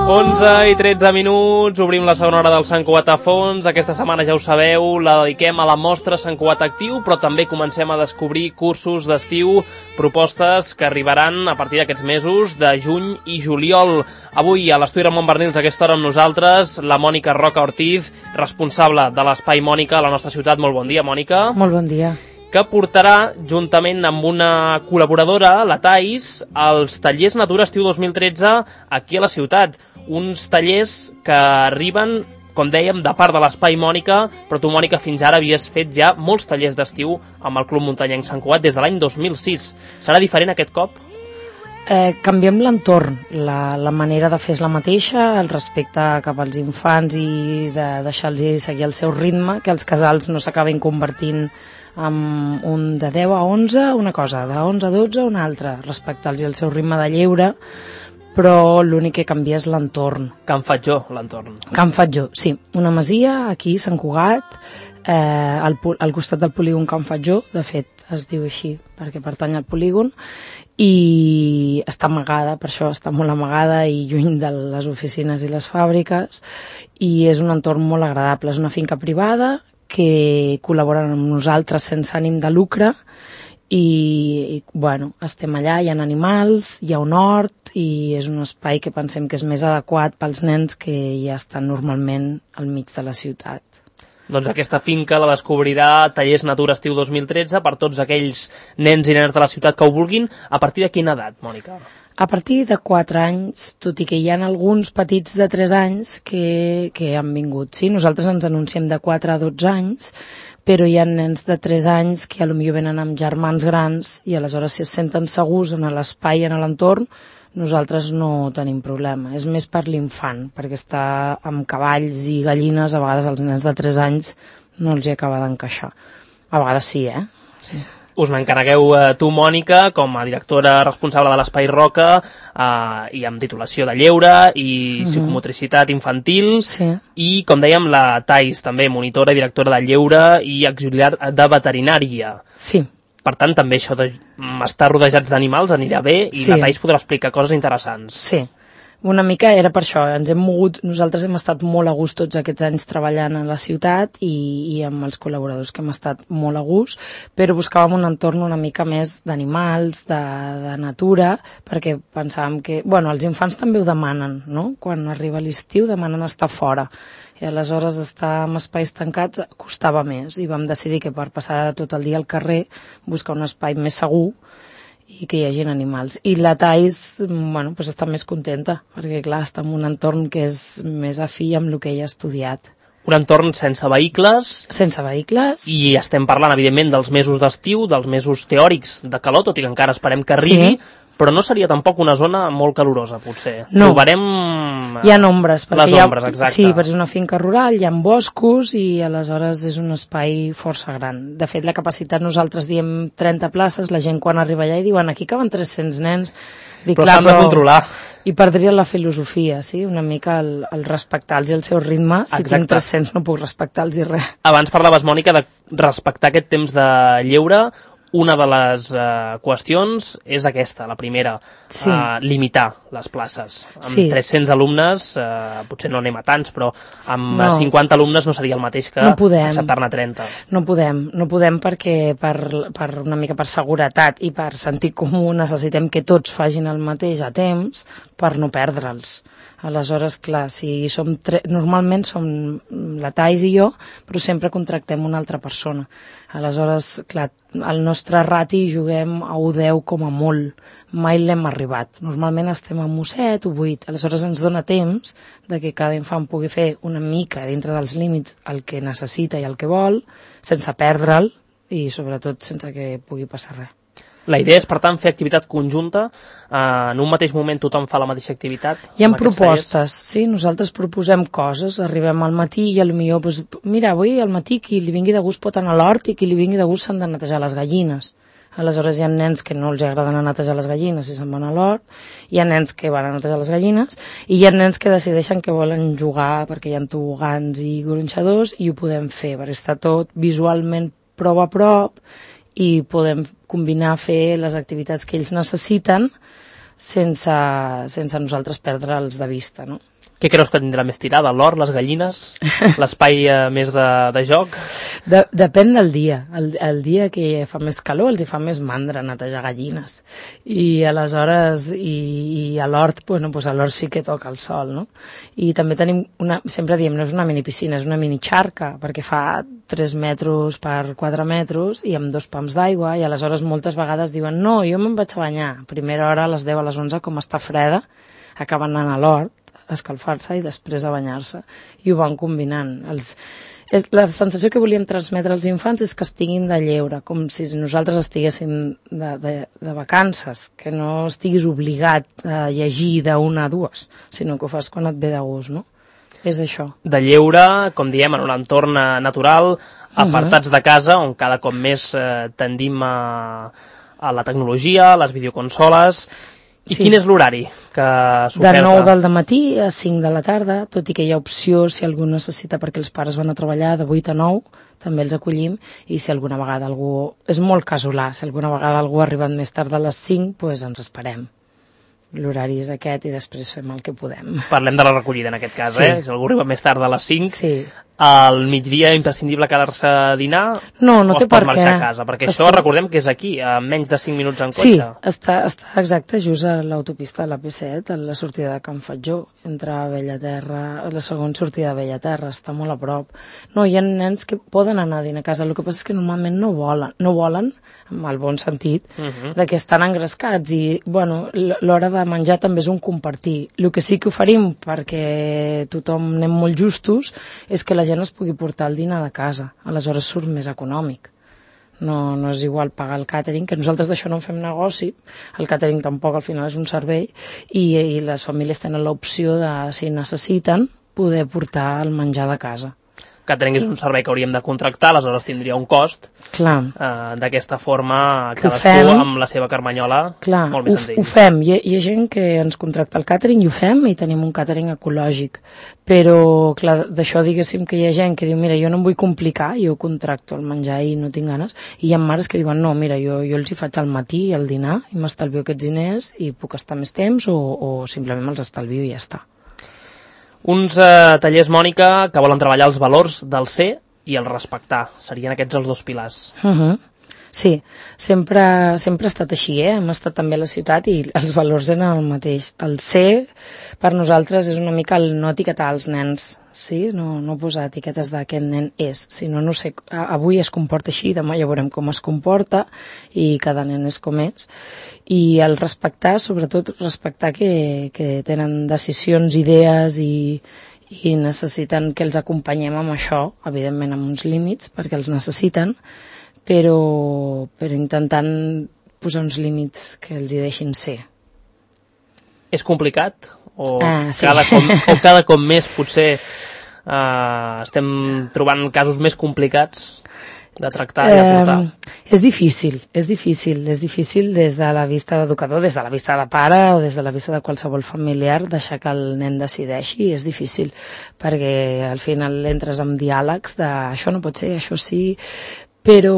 11:13, obrim la segona hora del Sant Cugat a fons. Aquesta setmana, ja ho sabeu, la dediquem a la mostra Sant Cugat Actiu, però també comencem a descobrir cursos d'estiu, propostes que arribaran a partir d'aquests mesos de juny i juliol. Avui, a l'estudi Ramon Bernils, a aquesta hora amb nosaltres, la Mònica Roca Ortiz, responsable de l'Espai Mònica a la nostra ciutat. Molt bon dia, Mònica. Molt bon dia. Que portarà, juntament amb una col·laboradora, la Thais, els tallers Natura Estiu 2013 aquí a la ciutat. Uns tallers que arriben, com dèiem, de part de l'Espai Mònica, però tu, Mònica, fins ara havies fet ja molts tallers d'estiu amb el Club Muntanyenc Sant Cugat des de l'any 2006. Serà diferent aquest cop? Canviem l'entorn. La manera de fer és la mateixa, el respecte cap als infants i de deixar-los seguir el seu ritme, que els casals no s'acabin convertint amb un de 10 a 11, una cosa, de 11 a 12, una altra, respectar-los el seu ritme de lleure, però l'únic que canvia és l'entorn. Can Fatjó, l'entorn. Can Fatjó, sí. Una masia, aquí, Sant Cugat, al costat del polígon Can Fatjó, de fet, es diu així, perquè pertany al polígon, i està amagada, per això està molt amagada i lluny de les oficines i les fàbriques, i és un entorn molt agradable. És una finca privada que col·laboren amb nosaltres sense ànim de lucre i bueno, estem allà, hi ha animals, hi ha un hort i és un espai que pensem que és més adequat pels nens que ja estan normalment al mig de la ciutat. Doncs aquesta finca la descobrirà Tallers Natura Estiu 2013 per tots aquells nens i nenes de la ciutat que ho vulguin. A partir de quina edat, Mònica? A partir de 4 anys, tot i que hi ha alguns petits de 3 anys que han vingut. Sí, nosaltres ens anunciem de 4 a 12 anys, però hi ha nens de 3 anys que potser venen amb germans grans i aleshores si es senten segurs en l'espai, en l'entorn, nosaltres no tenim problema. És més per l'infant, perquè està amb cavalls i gallines, a vegades els nens de 3 anys no els hi acaba d'encaixar. A vegades sí, Sí. Us n'encarregueu tu, Mònica, com a directora responsable de l'Espai Roca i amb titulació de lleure i psicomotricitat infantil, sí. I, com dèiem, la Thais, també monitora i directora de lleure i auxiliar de veterinària. Sí. Per tant, també això d'estar rodejats d'animals anirà bé i sí. La Thais podrà explicar coses interessants. Sí. Una mica era per això, nosaltres hem estat molt a gust tots aquests anys treballant a la ciutat i amb els col·laboradors que hem estat molt a gust, però buscàvem un entorn una mica més d'animals, de natura, perquè pensàvem que, els infants també ho demanen, no? Quan arriba l'estiu demanen estar fora, i aleshores estar en espais tancats costava més, i vam decidir que per passar tot el dia al carrer buscar un espai més segur i que hi hagi animals. I la Thais, està més contenta, perquè clar, està en un entorn que és més afí amb el que ella ha estudiat. Un entorn sense vehicles. Sense vehicles. I estem parlant, evidentment, dels mesos d'estiu, dels mesos teòrics de calor, tot i que encara esperem que arribi, sí. Però no seria tampoc una zona molt calorosa, potser. No. Trobarem hi ha ombres. Les ombres, exacte. Sí, perquè és una finca rural, hi ha boscos i aleshores és un espai força gran. De fet, la capacitat, nosaltres diem 30 places, la gent quan arriba allà i diuen aquí caben 300 nens. Però s'han de controlar. I perdria la filosofia, sí? Una mica el respectar-los el seu ritme. Si tinc 300 no puc respectar-los res. Abans parlaves, Mònica, de respectar aquest temps de lleure. Una de les qüestions és aquesta, la primera, sí. Limitar les places. Amb sí. 300 alumnes, potser no anem a tants, però amb 50 alumnes no seria el mateix que acceptar-ne 30. No podem perquè per una mica per seguretat i per sentit comú necessitem que tots facin el mateix a temps per no perdre'ls. Aleshores, clar, si normalment som la Thais i jo, però sempre contractem una altra persona. Aleshores, clar, al nostre rati juguem a 1-10 com a molt. Mai l'hem arribat. Normalment estem a 1-7 o 8. Aleshores ens dona temps de que cada infant pugui fer una mica dintre dels límits el que necessita i el que vol, sense perdre'l i sobretot sense que pugui passar res. La idea és, per tant, fer activitat conjunta. En un mateix moment tothom fa la mateixa activitat. Hi ha propostes, sí, nosaltres proposem coses, arribem al matí i potser, mira, avui al matí qui li vingui de gust pot anar a l'hort i qui li vingui de gust s'han de netejar les gallines. Aleshores hi ha nens que no els agrada anar a netejar les gallines i se'n van a l'hort, hi ha nens que van a netejar les gallines i hi ha nens que decideixen que volen jugar perquè hi ha tobogans i gronxadors i ho podem fer, perquè està tot visualment prou a prop i podem combinar fer les activitats que ells necessiten sense nosaltres perdre'ls de vista, no? Què creus que tindrà més tirada? L'hort, les gallines? L'espai més de joc? Depèn del dia. El dia que fa més calor els hi fa més mandra netejar gallines. I aleshores, i a l'hort, doncs a l'hort sí que toca el sol, no? I també tenim sempre diem, no és una mini piscina, és una mini xarca, perquè fa 3 metres per 4 metres i amb 2 pams d'aigua, i aleshores moltes vegades diuen, no, jo me'n vaig a banyar. Primera hora a les 10 a les 11, com està freda, acaben anant a l'hort, a escalfar-se i després a banyar-se, i ho van combinant. La sensació que volíem transmetre als infants és que estiguin de lleure, com si nosaltres estiguéssim de vacances, que no estiguis obligat a llegir d'1 a 2, sinó que ho fas quan et ve de gust, no? És això. De lleure, com diem, en un entorn natural, apartats de casa, on cada cop més tendim a la tecnologia, a les videoconsoles. I quin és l'horari que s'oferta? De 9 del matí a 5 de la tarda, tot i que hi ha opció si algú necessita, perquè els pares van a treballar de 8 a 9, també els acollim, i si alguna vegada algú... És molt casolà, si alguna vegada algú ha arribat més tard de les 5, doncs ens esperem. L'horari és aquest i després fem el que podem. Parlem de la recollida en aquest cas, sí. Si algú arriba més tard de les 5, sí. Al migdia imprescindible quedar-se a dinar no té per què. O es pot marxar a casa? Perquè això recordem que és aquí, a menys de 5 minuts en cotxe. Sí, està exacte, just a l'autopista de la P7, a la sortida de Can Fatjó, entre Bellaterra, la segona sortida de Bellaterra, està molt a prop. No, hi ha nens que poden anar a dinar a casa, el que passa és que normalment no volen, en el bon sentit, de que estan engrescats i, bueno, l'hora de menjar també és un compartir. El que sí que oferim, perquè tothom anem molt justos, és que la gent es pugui portar el dinar de casa. Aleshores surt més econòmic. No és igual pagar el càtering, que nosaltres d'això no en fem negoci, el càtering tampoc al final és un servei, i les famílies tenen l'opció de, si necessiten, poder portar el menjar de casa. Catering és un servei que hauríem de contractar, aleshores tindria un cost. Clar. D'aquesta forma, cadascú amb la seva carmanyola, molt més senzill. Ho fem. Hi ha gent que ens contracta el càtering i ho fem, i tenim un càtering ecològic. Però, clar, d'això diguéssim que hi ha gent que diu, mira, jo no em vull complicar, jo contracto el menjar i no tinc ganes, i hi ha mares que diuen, no, mira, jo els hi faig al matí, al dinar, i m'estalvio aquests diners i puc estar més temps o simplement me'ls estalvio i ja està. Uns tallers, Mònica, que volen treballar els valors del ser i el respectar. Serien aquests els 2 pilars. Sí, sempre ha estat així, hem estat també a la ciutat i els valors eren el mateix. El ser, per nosaltres, és una mica el no etiquetar els nens, sí? No posar etiquetes d'aquest nen és, sinó, no sé, avui es comporta així, demà ja veurem com es comporta i cada nen és com és. I el respectar, sobretot respectar que tenen decisions, idees i necessiten que els acompanyem amb això, evidentment amb uns límits, perquè els necessiten, però intentant posar uns límits que els hi deixin ser. És complicat? Sí. Cada cop més potser estem trobant casos més complicats de tractar i de portar? És difícil des de la vista d'educador, des de la vista de pare o des de la vista de qualsevol familiar, deixar que el nen decideixi, és difícil, perquè al final entres en diàlegs de això no pot ser, això sí, però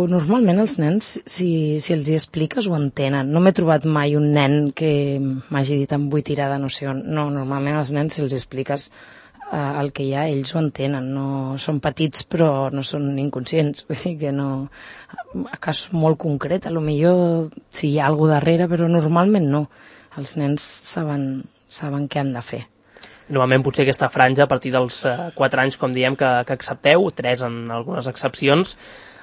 normalment els nens, si els hi expliques, ho entenen. No m'he trobat mai un nen que m'hagi dit em vull tirar de no sé on. No, normalment els nens, si els expliques el que hi ha, ells ho entenen. No són petits, però no són inconscients. Vull dir que no... A cas molt concret, potser si hi ha alguna cosa darrere, però normalment no. Els nens saben què han de fer. Normalment potser aquesta franja a partir dels 4 anys, com diem, que accepteu, 3 en algunes excepcions,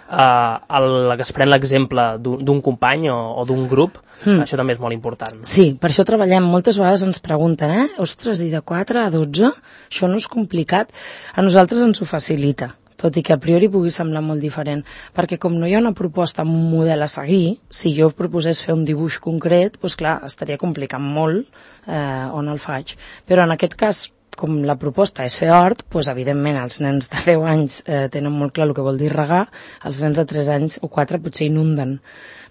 que es pren l'exemple d'un company o d'un grup, això també és molt important. Sí, per això treballem. Moltes vegades ens pregunten, ostres, i de 4 a 12? Això no és complicat? A nosaltres ens ho facilita, tot i que a priori pugui semblar molt diferent, perquè com no hi ha una proposta, un model a seguir, si jo proposés fer un dibuix concret, doncs clar, estaria complicant molt on el faig. Però en aquest cas, com la proposta és fer hort, doncs evidentment els nens de 10 anys tenen molt clar el que vol dir regar, els nens de 3 anys o 4 potser inunden.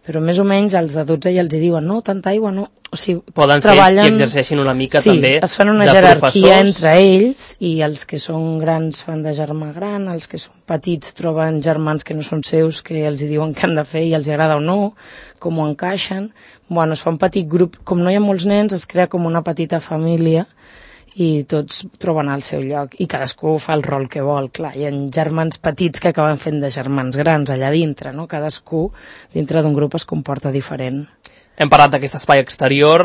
Però més o menys els de 12 ja els diuen, no, tanta aigua no. O sigui, poden treballen... ser ells qui exerceixin una mica també de professors. Sí, es fan una jerarquia entre ells i els que són grans fan de germà gran, els que són petits troben germans que no són seus, que els diuen què han de fer i els agrada o no, com ho encaixen. Bueno, es fa un petit grup, com no hi ha molts nens, es crea com una petita família i tots troben el seu lloc i cadascú fa el rol que vol. Clar, hi ha germans petits que acaben fent de germans grans allà dintre, no? Cadascú dintre d'un grup es comporta diferent. Hem parlat d'aquest espai exterior,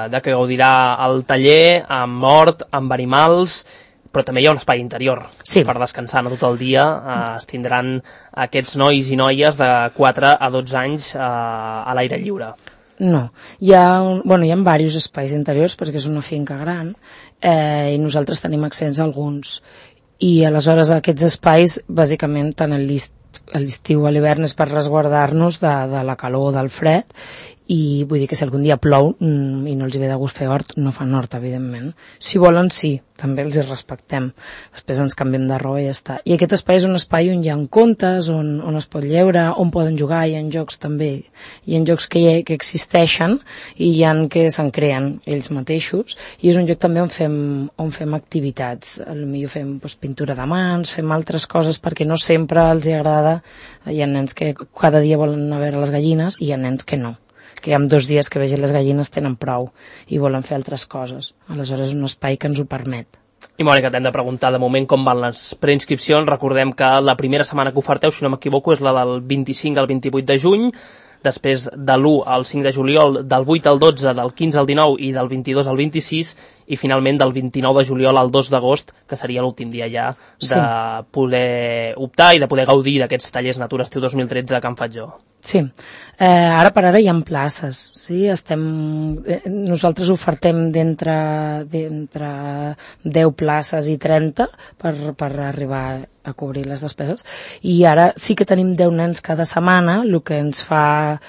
de que gaudirà el taller amb hort, amb animals, però també hi ha un espai interior per descansar, no tot el dia. Es tindran aquests nois i noies de 4 a 12 anys a l'aire lliure. No, hi ha diversos espais interiors perquè és una finca gran i nosaltres tenim accés a alguns. I aleshores aquests espais, bàsicament, tant a l'estiu o a l'hivern és per resguardar-nos de la calor o del fred, i vull dir que si algun dia plou i no els ve de gust fer hort, no fan hort, evidentment. Si volen, sí, també els hi respectem. Després ens canviem de roba i ja està. I aquest espai és un espai on hi ha contes, on es pot lleure, on poden jugar, hi ha jocs també. Hi ha jocs que existeixen i hi ha que se'n creen ells mateixos, i és un lloc també on fem activitats. Potser fem pintura de mans, fem altres coses perquè no sempre els hi agrada. Hi ha nens que cada dia volen anar a veure les gallines i hi ha nens que no, que amb 2 dies que vegin les gallines tenen prou i volen fer altres coses. Aleshores és un espai que ens ho permet. I Mònica, t'hem de preguntar de moment com van les preinscripcions. Recordem que la primera setmana que oferteu, si no m'equivoco, és la del 25 al 28 de juny, després de l'1 al 5 de juliol, del 8 al 12, del 15 al 19 i del 22 al 26, i finalment del 29 de juliol al 2 d'agost, que seria l'últim dia ja de poder optar i de poder gaudir d'aquests tallers Natura Estiu 2013 a Can Fatjó. Sí, ara per ara hi ha places, sí? Nosaltres ofertem d'entre 10 places i 30 per arribar a cobrir les despeses, i ara sí que tenim 10 nens cada setmana, el que ens fa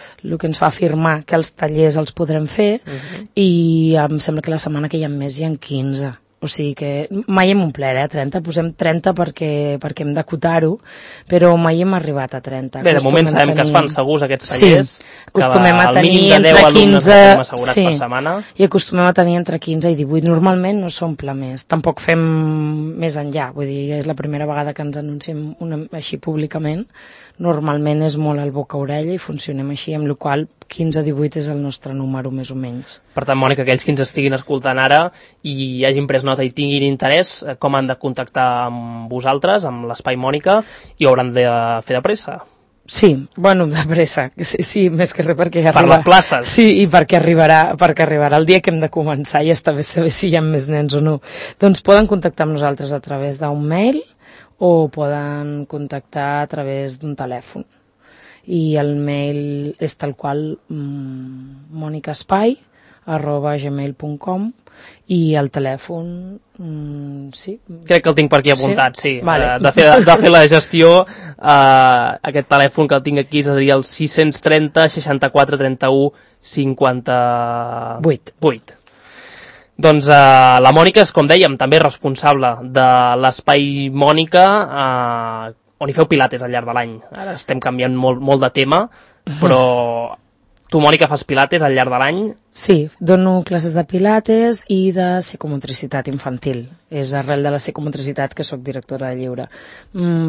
afirmar que els tallers els podrem fer, i em sembla que la setmana que hi ha més hi ha 15. O sigui que mai hem omplert, 30, posem 30 perquè hem d'acotar-ho, però mai hem arribat a 30. Bé, de moment sabem que es fan segurs aquests tallers, acostumem a tenir entre 15 per setmana. I acostumem a tenir entre 15 i 18. Normalment no s'omple més, tampoc fem més enllà, vull dir, és la primera vegada que ens anunciem així públicament. Normalment és molt al boca-orella i funcionem així, amb la qual 15-18 és el nostre número, més o menys. Per tant, Mònica, aquells que ens estiguin escoltant ara i hagin pres nota i tinguin interès, com han de contactar amb vosaltres, amb l'Espai Mònica, i ho hauran de fer de pressa? Sí, de pressa, sí, més que res perquè per les places. Sí, i perquè arribarà el dia que hem de començar i està bé saber si hi ha més nens o no. Doncs poden contactar amb nosaltres a través d'un mail o poden contactar a través d'un telèfon. I el mail és tal qual monicaspai@gmail.com, i el telèfon sí. Crec que el tinc per aquí apuntat, sí. Vale. De fer la gestió, aquest telèfon que el tinc aquí seria el 630 64 31 58. Doncs la Mònica és, com dèiem, també responsable de l'Espai Mònica, on hi feu pilates al llarg de l'any. Ara estem canviant molt de tema, però tu, Mònica, fas pilates al llarg de l'any? Sí, dono classes de pilates i de psicomotricitat infantil. És arrel de la psicomotricitat que sóc directora de lliure.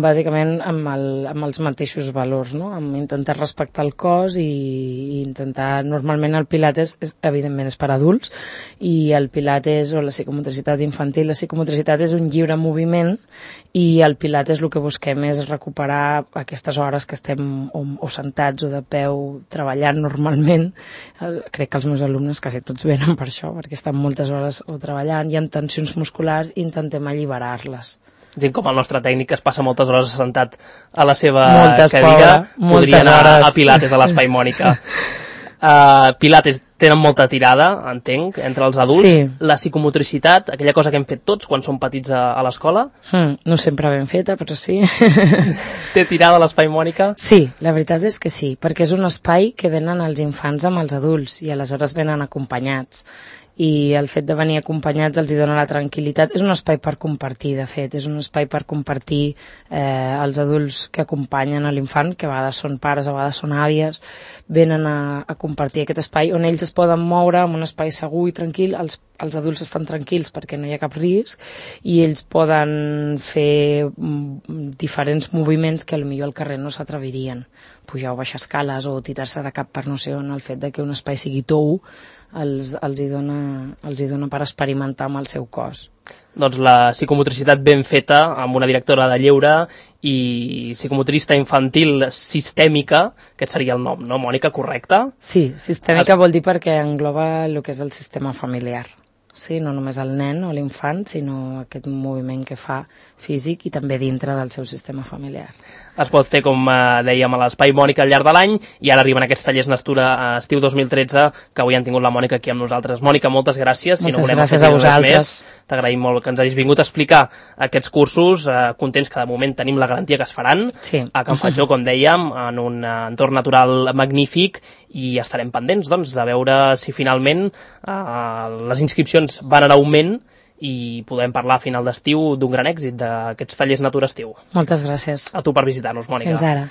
Bàsicament amb els mateixos valors, no? Amb intentar respectar el cos i intentar... Normalment el pilates, evidentment, és per adults, i el pilates o la psicomotricitat infantil, la psicomotricitat és un lliure moviment, i el pilates el que busquem és recuperar aquestes hores que estem o sentats o de peu treballant normalment. Crec que els meus alumnes quasi tots venen per això, perquè estan moltes hores o treballant, hi ha tensions musculars i intentem alliberar-les. Gent com el nostre tècnic que es passa moltes hores assentat a la seva cadira, podria anar a pilates a l'Espai Mònica. Pilates tenen molta tirada, entenc, entre els adults. Sí. La psicomotricitat, aquella cosa que hem fet tots quan som petits a l'escola. No sempre ben feta, però sí. Té tirada l'Espai Mònica? Sí, la veritat és que sí, perquè és un espai que venen els infants amb els adults i aleshores venen acompanyats. I el fet de venir acompanyats els hi dona la tranquil·litat. És un espai per compartir, de fet, és un espai per compartir els adults que acompanyen a l'infant, que a vegades són pares, a vegades són àvies, venen a compartir aquest espai on ells es poden moure en un espai segur i tranquil, els els adults estan tranquils perquè no hi ha cap risc i ells poden fer diferents moviments que potser al carrer no s'atrevirien. Pujar o baixar escales o tirar-se de cap per no sé on, el fet de que un espai sigui tou els hi dona per experimentar amb el seu cos. Doncs la psicomotricitat ben feta, amb una directora de lleure i psicomotrista infantil sistèmica, aquest seria el nom, no, Mònica, correcte? Sí, sistèmica vol dir perquè engloba el que és el sistema familiar. Sí, no només el nen o l'infant, sinó aquest moviment que fa físic i també dintre del seu sistema familiar. Es pot fer, com dèiem, a l'Espai Mònica al llarg de l'any, i ara arriben aquests tallers Nastura estiu 2013, que avui han tingut la Mònica aquí amb nosaltres. Mònica, moltes gràcies. Moltes gràcies a vosaltres. T'agraïm molt que ens hagis vingut a explicar aquests cursos, contents que de moment tenim la garantia que es faran, a Can Fatjó, com dèiem, en un entorn natural magnífic, i estarem pendents, doncs, de veure si finalment les inscripcions van en augment i podem parlar a final d'estiu d'un gran èxit d'aquests tallers Natura estiu. Moltes gràcies. A tu per visitar-nos, Mònica. Fins ara.